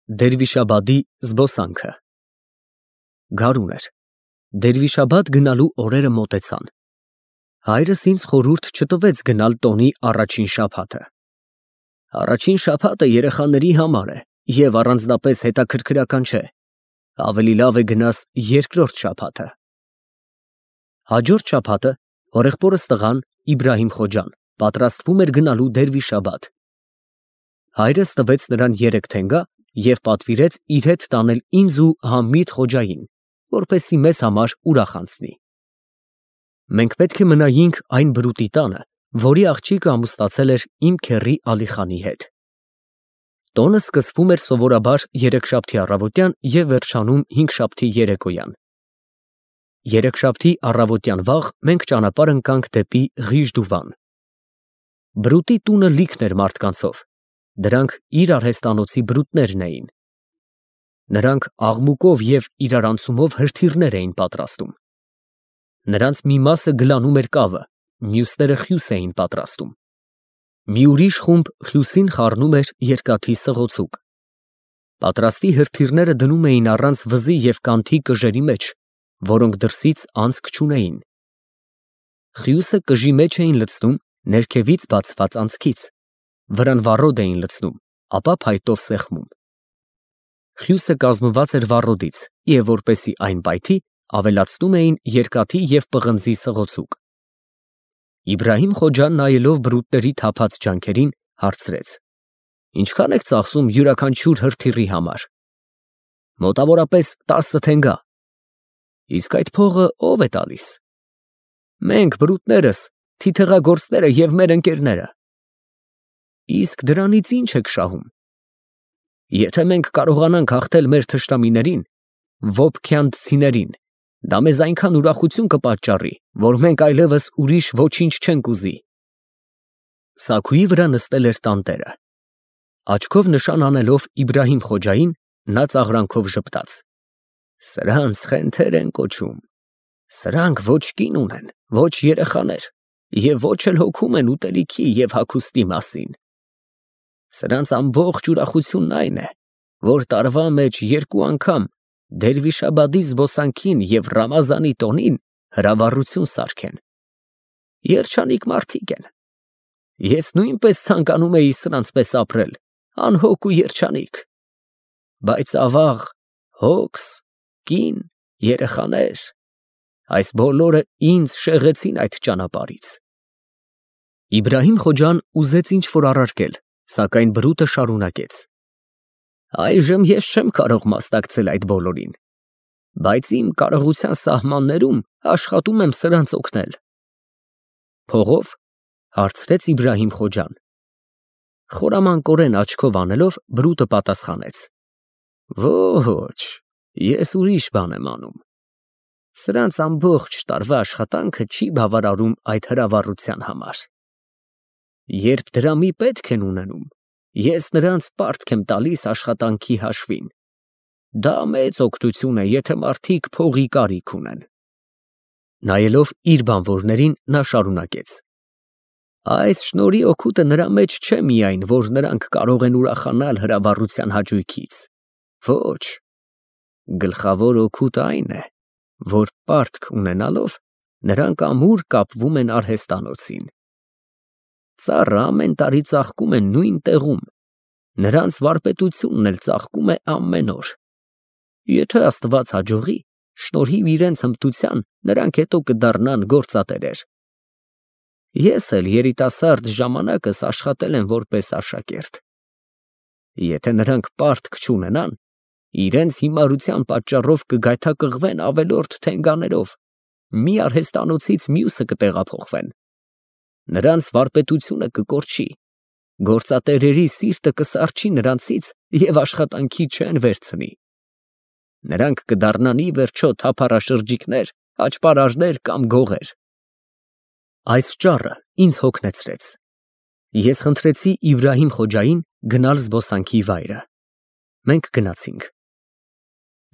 Դերվիշաբադի զբոսանքը։ Գարուն էր։ Դերվիշաբադ գնալու օրերը մոտեցան։ Հայրս ինձ խորհուրդ չտվեց գնալ տոնի առաջին շաբաթը։ Առաջին շաբաթը երեխաների համար է և առանձնապես հետաքրքրական չէ։ Ավելի լավ է գնաս երկրորդ շաբաթը։ Հաջորդ շաբաթը հորեղբորս տղան Իբրահիմ Խոջան պատրաստվում էր գնալու Դերվիշաբադ։ Հայրս տվեց նրան 3 թենգա և պատվիրեց իր հետ տանել ինձ ու Համիդ Խոջային, որպեսզի մեզ համար ուրախ անցնի։ Մենք պետք է մնայինք այն բրուտի տանը, որի աղջիկը ամուսնացել էր իմ քեռի Ալիխանի հետ։ Տոնը սկսվում էր սովորաբար երեքշաբթի առավոտյան և վերջանում հինգշաբթի երեկոյան։ Երեքշաբթի առավոտյան վաղ մենք ճանապարհ ընկանք դեպի Ղիժդուվան։ Բրուտի տունը լիքն էր մարդկանցով, դրանք իր արհեստանոցի բրուտներն էին։ Նրանք աղմուկով և իրարանցումով հրթիռներ էին պատրաստում։ Նրանց մի մասը գլանում էր կավը, մյուսները խյուս էին պատրաստում։ Մի ուրիշ խումբ խյուսին խառնում էր երկաթի սղոցուկ։ Պատրաստի հրթիռները դնում էին առանց վզի և կանթի կժերի մեջ, որոնք դրսից անցք չունեին։ Խյուսը կժի մեջ էին լցնում ներքևից բացված անցքից, վրան վառոդ էին լցնում, ապա փայտով սեղմում։ Խյուսը կազմված էր վառոդից և որպեսզի այն պայթի, ավելացնում էին երկաթի և պղնձի սղոցուկ։ Իբրահիմ Խոջան նայելով բրուտների թափած ջանքերին հարցրեց. Ինչքան եք ծախսում յուրաքանչյուր հրթիռի համար։ Մոտավորապես 10 թենգա։ Իսկ այդ փողը ո՞վ է տալիս։ Մենք բրուտներս, թիթեղագործները և մեր ընկերները։ Իսկ դրանից ի՞նչ եք շահում։ Եթե մենք կարողանանք հաղթել մեր թշնամիներին, ոփքյանցիներին, դա մեզ այնքան ուրախություն կպատճառի, որ մենք այլևս ուրիշ ոչինչ չենք ուզի։ Սաքուի վրա նստել էր տանտերը։ Աչքով նշան անելով Իբրահիմ Խոջային, նա ծաղրանքով ժպտաց. Սրանց խենթեր են կոչում։ Սրանք ոչ կին ունեն, ոչ երեխաներ, և ոչ էլ հոգում են ուտելիքի և հագուստի մասին։ Սրանց ամբողջ ուրախությունն այն է, որ տարվա մեջ 2 անգամ Դերվիշաբադի զբոսանքին և Ռամազանի տոնին հրավառություն սարքեն։ Երջանիկ մարդիկ են։ Ես նույնպես ցանկանում էի սրանց պես ապրել, անհոգ ու երջանիկ։ Բայց ավաղ, հոգս, կին, երեխաներ, այս բոլորը ինձ շեղեցին այդ ճանապարհից։ Իբրահիմ Խոջան ուզեց ինչ-որ առարկել, սակայն բրուտը շարունակեց. Այժմ ես չեմ կարող մասնակցել այդ բոլորին, բայց իմ կարողության սահմաններում աշխատում եմ սրանց օգնել։ Փողո՞վ, հարցրեց Իբրահիմ Խոջան։ Խորամանկորեն աչքով անելով բրուտը պատասխանեց. Ոչ, ես ուրիշ բան եմ անում։ Սրանց ամբողջ տարվա աշխատանքը չի բավարարում այդ հրավառության համար։ Երբ դրամի պետք են ունենում, ես նրանց պարտք եմ տալիս աշխատանքի հաշվին։ Դա մեծ օգնություն է, եթե մարդիկ փողի կարիք ունեն։ Նայելով իր բանվորներին, նա շարունակեց. Այս շնորհի օգուտը նրա մեջ չէ միայն, որ նրանք կարող են ուրախանալ հրավառության հաճույքից։ Ոչ, գլխավոր օգուտը այն է, որ պարտք ունենալով նրանք ամուր կապվում են արհեստանոցին։ Ծառը ամեն տարի ծաղկում է նույն տեղում, նրանց վարպետությունն էլ ծաղկում է ամեն օր։ Եթե Աստված հաջողի, շնորհիվ իրենց հմտության, նրանք հետո կդառնան գործատերեր։ Ես էլ երիտասարդ ժամանակս աշխատել եմ որպես աշակերտ։ Եթե նրանք պարտք չունենան, իրենց հիմարության պատճառով կգայթակղվեն ավելորդ թենգաներով, մի արհեստանոցից մյուսը կտեղափոխվեն։ Նրանց վարպետությունը կկորչի, գործատերերի սիրտը կսառչի նրանցից և աշխատանքի չեն վերցնի։ Նրանք կդառնան ի վերջո թափառաշրջիկներ, աճպարարներ կամ գողեր։ Այս ճառը ինձ հոգնեցրեց։ Ես խնդրեցի Իբրահիմ Խոջային գնալ զբոսանքի վայրը։ Մենք գնացինք։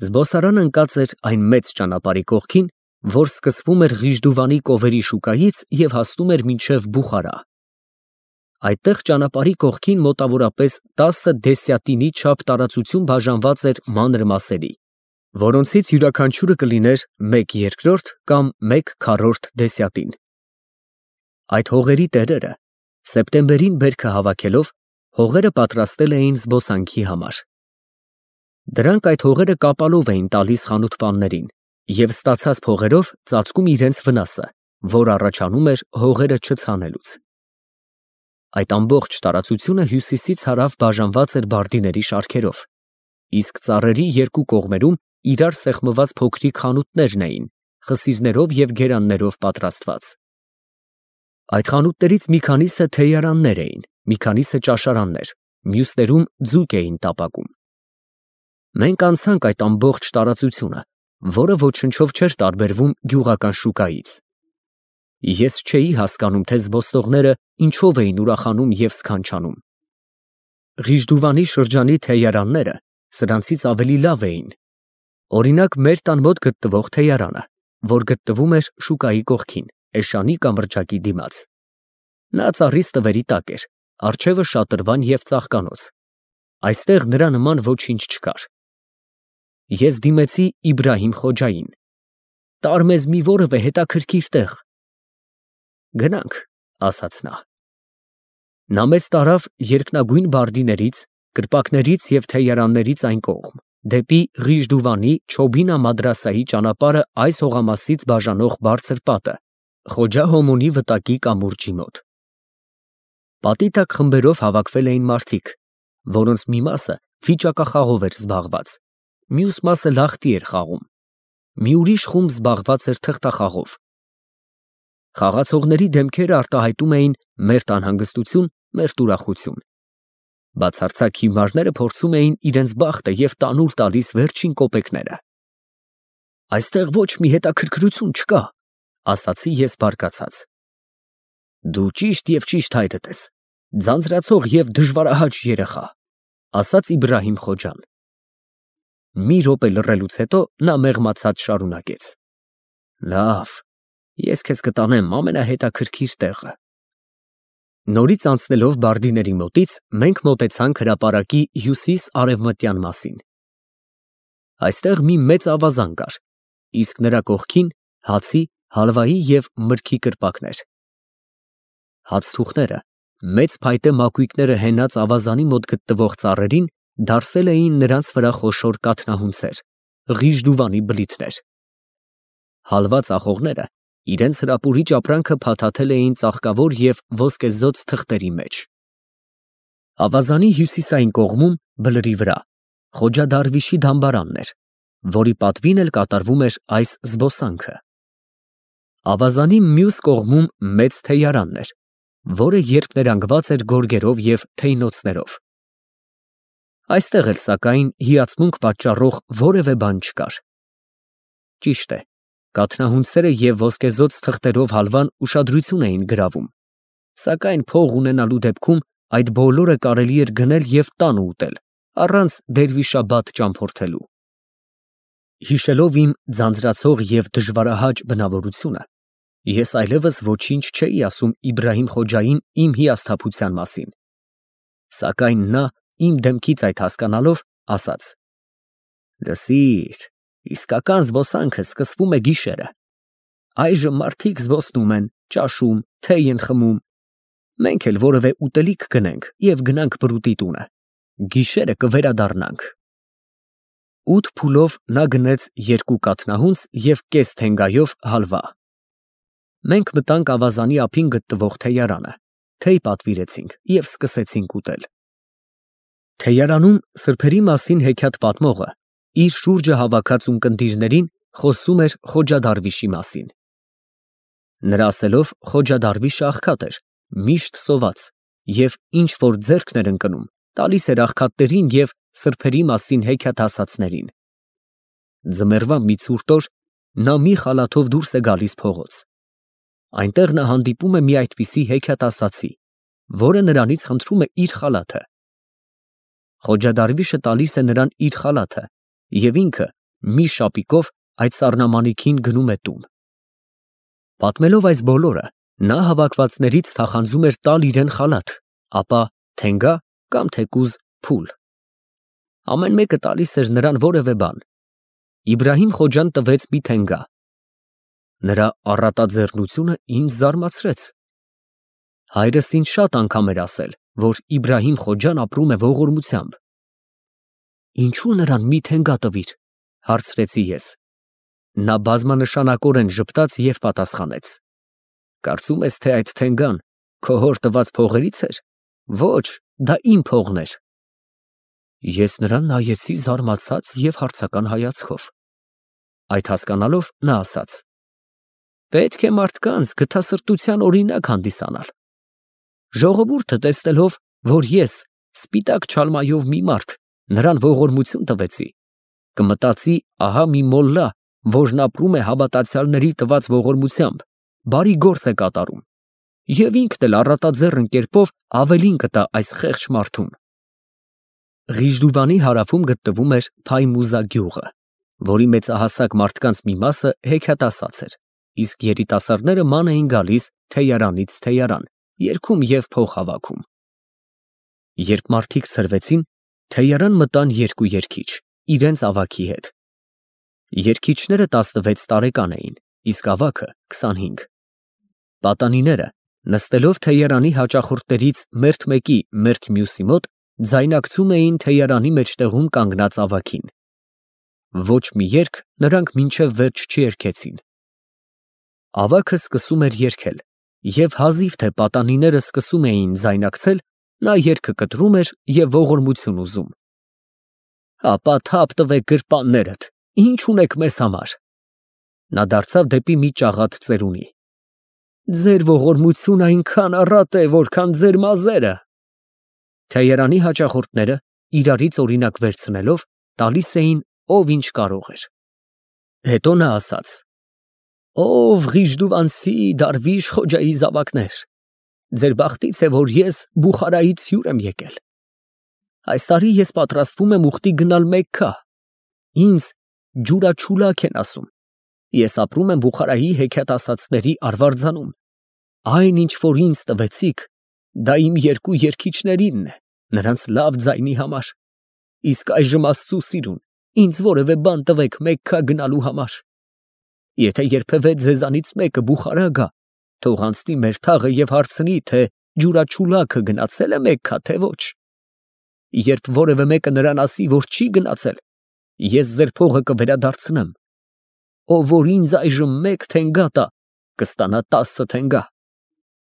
Զբոսարանը ընկած էր այն մեծ ճանապարհի կողքին, որ սկսվում էր Ղիժդուվանի կովերի շուկայից և հասնում էր մինչև Բուխարա։ Այդտեղ ճանապարհի կողքին մոտավորապես 10 դեսյատինի չափ տարածություն բաժանված էր մանր մասերի, որոնցից յուրաքանչյուրը կլիներ 1/2 կամ 1/4 դեսյատին։ Այդ հողերի տերերը սեպտեմբերին բերքը հավաքելով հողերը պատրաստել էին զբոսանքի համար։ Դրանք այդ հողերը կապալով էին տալիս խանութպաններին և ստացած փողերով ծածկում իրենց վնասը, որ առաջանում էր հողերը չցանելուց։ Այդ ամբողջ տարածությունը հյուսիսից հարավ բաժանված էր բարդիների շարքերով, իսկ ծառերի երկու կողմերում իրար սեղմված փոքրիկ խանութներն էին, խսիզներով և գերաններով պատրաստված։ Այդ խանութներից մի քանիսը թեյարաններ էին, մի քանիսը ճաշարաններ, մյուսներում ձուկ էին տապակում։ Մենք անցանք այդ ամբողջ տարածությունը, որը ոչնչով չէր տարբերվում գյուղական շուկայից։ Ես չէի հասկանում, թե զբոսնողները ինչով էին ուրախանում և սքանչանում։ Ղիժդուվանի շրջանի թեյարանները սրանցից ավելի լավ էին։ Օրինակ, մեր տան մոտ գտնվող թեյարանը, որ գտնվում էր շուկայի կողքին, էշանի կամրջակի դիմաց։ Նա ծառի ստվերի տակ էր, առջևը շատրվան և ծաղկանոց։ Այստեղ նրա նման ոչինչ չկար։ Ես դիմեցի Իբրահիմ Խոջային. «Տար մեզ մի որևէ հետաքրքիր տեղ»։ «Գնանք», ասաց նա։ Նա մեզ տարավ երկնագույն բարդիներից, կրպակներից և թեյարաններից այն կողմ, դեպի Ղիժդուվանի Չոբինա մադրասայի ճանապարհը այս հողամասից բաժանող բարձր պատը, Խոջա հոմոնի վտակի կամուրջի մոտ։ Պատի տակ խմբերով հավաքվել էին մարդիկ, որոնց մի մասը վիճակախաղով էր զբաղված, մյուս մասը լախտի էր խաղում, մի ուրիշ խումբ զբաղված էր թղթախաղով։ Խաղացողների դեմքերը արտահայտում էին մերթ անհանգստություն, մերթ ուրախություն։ Բացարձակ հիմարները փորձում էին իրենց բախտը և տանուլ տալիս վերջին կոպեկները։ «Այստեղ ոչ մի հետաքրքրություն չկա», ասացի ես բարկացած։ «Դու ճիշտ և ճիշտ հայրդ ես, ձանձրացող և դժվարահաճ երեխա», ասաց Իբրահիմ Խոջան։ Մի րոպե լռելուց հետո նա մեղմացած շարունակեց. «Լավ, ես քեզ կտանեմ ամենահետաքրքիր տեղը»։ Նորից անցնելով բարդիների մոտից, մենք մոտեցանք հրապարակի հյուսիս֊արևմտյան մասին։ Այստեղ մի մեծ ավազան կար, իսկ նրա կողքին հացի, հալվայի և մրգի կրպակներ։ Հացթուխները, մեծ փայտե մակույկները հենած ավազանի մոտ գտնվող ծառերին դարսել էին նրանց վրա խոշոր կաթնահունցեր, Ղիժդուվանի բլիթներ։ Հալվա ծախողները իրենց հրապուրիչ ապրանքը փաթաթել էին ծաղկավոր և ոսկեզօծ թղթերի մեջ։ Ավազանի հյուսիսային կողմում, բլրի վրա, Խոջա Դարվիշի դամբարանն էր, որի պատվին էլ կատարվում էր այս զբոսանքը։ Ավազանի մյուս կողմում մեծ թեյարանն էր, որը երփներանգված էր գորգերով և թեյնոցներով։ Այստեղ էլ, սակայն, հիացմունք պատճառող որևէ բան չկար։ Ճիշտ է, կաթնահունցերը և ոսկեզօծ թղթերով հալվան ուշադրություն էին գրավում, սակայն փող ունենալու դեպքում այդ բոլորը կարելի էր գնել և տանը ուտել, առանց դերվիշաբադ ճամփորդելու։ Հիշելով իմ ձանձրացող և դժվարահաճ բնավորությունը, ես այլևս ոչինչ չէի ասում Իբրահիմ Խոջային իմ հիասթափության մասին, սակայն նա, իմ դեմքից այդ հասկանալով, ասաց. «Լսիր, իսկական զբոսանքը սկսվում է գիշերը։ Այժմ մարդիկ զբոսնում են, ճաշում, թեյ են խմում։ Մենք էլ որևէ ուտելիք գնենք և գնանք բրուտի տունը։ Գիշերը կվերադառնանք»։ 8 փուլով նա գնեց 2 կաթնահունց և կես թենգայով հալվա։ Մենք մտանք ավազանի ափին գտնվող թեյարանը, թեյ պատվիրեցինք և սկսեցինք ուտել։ Թեյարանում սրբերի մասին հեքիաթ պատմողը իր շուրջը հավաքած ունկնդիրներին խոսում էր Խոջա Դարվիշի մասին։ Նրա ասելով, Խոջա Դարվիշը աղքատ էր, միշտ սոված, և ինչ որ ձեռքն էր ընկնում, տալիս էր աղքատներին և սրբերի մասին հեքիաթ ասածներին։ Ձմեռվա մի ցուրտ օր նա մի խալաթով դուրս է գալիս փողոց։ Այնտեղ նա հանդիպում է մի այդպիսի հեքիաթ ասացի, որը նրանից խնդրում է իր խալաթը։ Խոջա Դարվիշը տալիս է նրան իր խալաթը և ինքը մի շապիկով այդ սառնամանիքին գնում է տուն։ Պատմելով այս բոլորը, նա հավաքվածներից թախանձում էր տալ իրան խալաթ, ապա թենգա կամ թեկուզ փուլ։ Ամեն մեկը տալիս էր նրան որևէ բան։ Իբրահիմ Խոջան տվեց մի թենգա։ Նրա առատաձեռնությունը ինձ զարմացրեց։ Հայրս ինձ շատ անգամ էր ասել, որ Իբրահիմ Խոջան ապրում է ողորմությամբ։ Ինչու նրան մի թենգա տվիր, հարցրեցի ես։ Նա բազմանշանակորեն ժպտաց և պատասխանեց. Կարծում ես, թե այդ թենգան քո հոր տված փողերից էր։ Ոչ, դա իմ փողն էր։ Ես նրան նայեցի զարմացած և հարցական հայացքով։ Այդ հասկանալով նա ասաց. պետք է մարդկանց գթասրտության օրինակ հանդիսանալ։ Ժողովուրդը տեսնելով, որ ես սպիտակ չալմայով մի մարդ նրան ողորմություն տվեցի, կմտածի, ահա մի մոլլա, որն ապրում է հավատացյալների տված ողորմությամբ, բարի գործ է կատարում, և ինքն էլ առատաձեռն կերպով ավելին կտա այս խեղճ մարդուն։ Ղիժդուվանի հարավում գտնվում էր Փայմուզա գյուղը, որի մեծահասակ մարդկանց մի մասը հեքիաթասաց էր, իսկ երիտասարդները ման էին գալիս թեյարանից թեյարան, երգում և փող հավաքում։ Երբ մարդիկ ցրվեցին, թեյարան մտան երկու երգիչ, իրենց ավագի հետ։ Երգիչները 16 տարեկան էին, իսկ ավագը 25։ Պատանիները, նստելով թեյարանի հաճախորդներից մերթ մեկի մերթ մյուսի մոտ, ձայնակցում էին թեյարանի մեջտեղում կանգնած ավագին։ Ոչ մի երգ նրանք մինչև վերջ չերգեցին։ Ավագը սկսում էր երգել, և հազիվ թե պատանիները սկսում էին ձայնակցել, նա երգը կտրում էր և ողորմություն ուզում։ Ապա թափ տվեք գրպաններդ, ինչ ունեք մեզ համար։ Նա դարձավ դեպի մի ճաղատ ծերունի։ Ձեր ողորմությունը այնքան առատ է, որքան ձեր մազերը։ Թեյարանի հաճախորդները, իրարից օրինակ վերցնելով, տալիս էին ով ինչ կարող էր։ Հետո նա ասաց. Ով Ղիժդուվանցի Դարվիշ Խոջայի զավակներ, ձեր բախտից է, որ ես Բուխարայից հյուր եմ եկել։ Այս տարի ես պատրաստվում եմ ուխտի գնալ Մեքքա։ Ինձ ջուրաչուլակ են ասում։ Ես ապրում եմ Բուխարայի հեքիաթասացների արվարձանում։ Այն, ինչ որ ինձ տվեցիք, դա իմ երկու երգիչներինն է, նրանց լավ ձայնի համար։ Իսկ այժմ Աստծու սիրուն, ինձ որևէ բան տվեք Մեքքա գնալու համար։ Եթե երբևէ ձեզանից մեկը Բուխարա գա, թող անցնի մեր թաղը և հարցնի, թե ջուրաչուլաքը գնացել է Մեքքա, թե ոչ։ Երբ որևէ մեկը նրան ասի, որ չի գնացել, ես ձեր փողը կվերադարձնեմ։ Ով որ ինձ այժմ մեկ թենգա տա, կստանա 10 թենգա։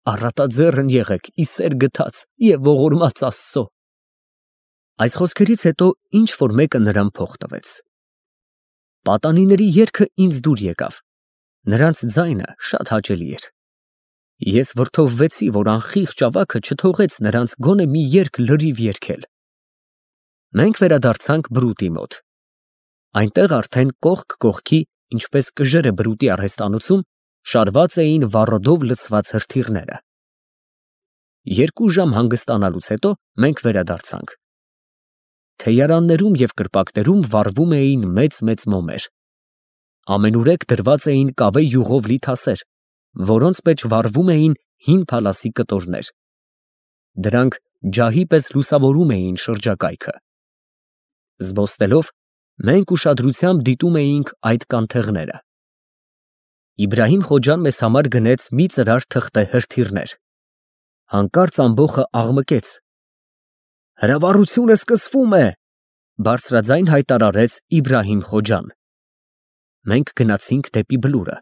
Առատաձեռն եղեք, ի սեր գթած և ողորմած Աստծո։ Այս խոսքերից հետո ինչ որ մեկը նրան փող տվեց։ Պատանիների երգը ինձ դուր եկավ։ Նրանց ձայնը շատ հաճելի էր։ Ես վրդովվեցի, որ անխիղճ ավագը չթողեց նրանց գոնե մի երգ լրիվ երգել։ Մենք վերադարձանք բրուտի մոտ։ Այնտեղ արդեն կողք կողքի, ինչպես կժերը բրուտի արհեստանոցում, շարված էին վառոդով լցված հրթիռները։ 2 ժամ հանգստանալուց հետո մենք վերադարձանք։ Թեյարաններում և կրպակներում վառվում էին մեծ մոմեր։ Ամենուրեք դրված էին կավե յուղով լի թասեր, որոնց մեջ վառվում էին հին փալասի կտորներ։ Դրանք ջահի պես լուսավորում էին շրջակայքը։ Զբոսնելով, մենք ուշադրությամբ դիտում էինք այդ կանթեղները։ Իբրահիմ Խոջան մեզ համար գնեց մի ծրար թղթե հրթիռներ։ Հանկարծ ամբոխը աղմկեց։ Հրավառությունը սկսվում է, բարձրաձայն հայտարարեց Իբրահիմ Խոջան։ Մենք գնացինք դեպի բլուրը,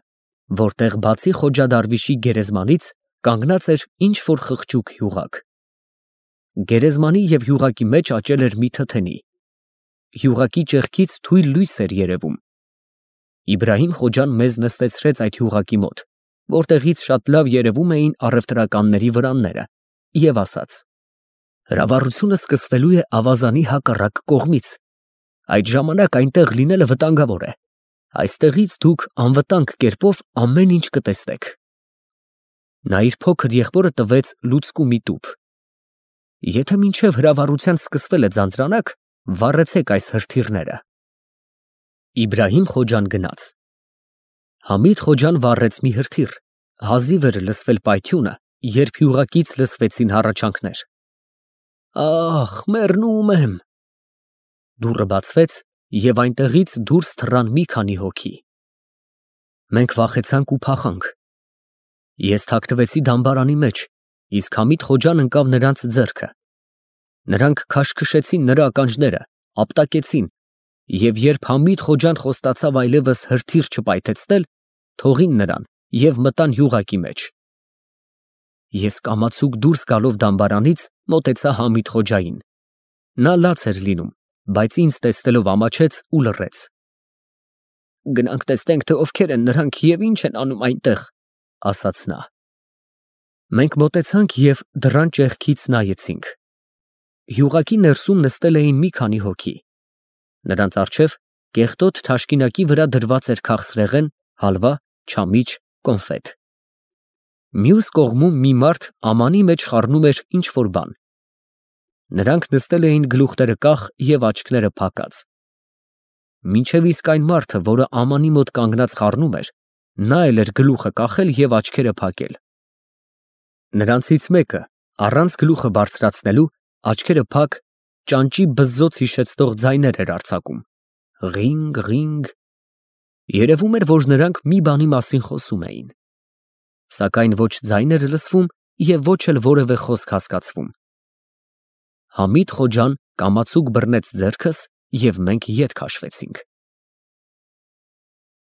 որտեղ բացի Խոջա Դարվիշի գերեզմանից կանգնած էր ինչ որ խղճուկ յուղակ։ Գերեզմանի և յուղակի մեջ աճել էր մի թթենի։ Յուղակի ճեղքից թույլ լույս էր երևում։ Իբրահիմ Խոջան մեզ նստեցրեց այդ յուղակի մոտ, որտեղից շատ լավ երևում էին առևտրականների վրանները, և ասաց. Հրավառությունը սկսվելու է ավազանի հակառակ կողմից։ Այդ ժամանակ այնտեղ լինելը վտանգավոր է։ Այստեղից դուք անվտանգ կերպով ամեն ինչ կտեսնեք։ Նա իր փոքր եղբորը տվեց լուցկու մի տուփ։ Եթե մինչև հրավառության սկսվելը ձանձրանաք, վառեցեք այս հրթիռները։ Իբրահիմ Խոջան գնաց։ Համիդ Խոջան վառեց մի հրթիռ, հազիվ էր լսվել պայթյունը, երբ յուղակից լսվեցին հառաչանքներ։ Ախ, մեռնում եմ։ Դուռը բացվեց և այնտեղից դուրս թռան մի քանի հոգի։ Մենք վախեցանք ու փախանք։ Ես թաքնվեցի դամբարանի մեջ, իսկ Համիդ Խոջան ընկավ նրանց ձեռքը։ Նրանք քաշքշեցին նրա ականջները, ապտակեցին, և երբ Համիդ Խոջան խոստացավ այլևս հրթիռ չպայթեցնել, թողին նրան և մտան յուղակի մեջ։ Ես կամացուկ դուրս գալով դամբարանից մոտեցա Համիդ Խոջային։ Նա լաց էր լինում, բայց ինձ տեսնելով ամաչեց ու լռեց։ «Գնանք տեսնենք, թե ովքեր են նրանք և ինչ են անում այնտեղ», ասաց նա։ Մենք մոտեցանք և դռան ճեղքից նայեցինք։ Յուղակի ներսում նստել էին մի քանի հոգի։ Նրանց առջև կեղտոտ թաշկինակի վրա դրված էր քաղցրեղեն, հալվա, չամիչ, կոնֆետ։ Մյուս կողմում մի մարդ ամանի մեջ խառնում էր ինչ֊որ բան։ Նրանք նստել էին գլուխները կախ և աչքերը փակած։ Մինչև իսկ այն մարդը, որը ամանի մոտ կանգնած խառնում էր, նա էլ էր գլուխը կախել և աչքերը փակել։ Նրանցից մեկը, առանց գլուխը բարձրացնելու, աչքերը փակ, ճանճի բզզոց հիշեցնող ձայներ էր արձակում. «Ղինգ, ղինգ»։ Երևում էր, որ նրանք մի բանի մասին խոսում էին։ Սակայն ոչ ձայն էր լսվում և ոչ էլ որևէ խոսք հասկացվում։ Համիդ Խոջան կամացուկ բռնեց ձեռքս և մենք ետ քաշվեցինք։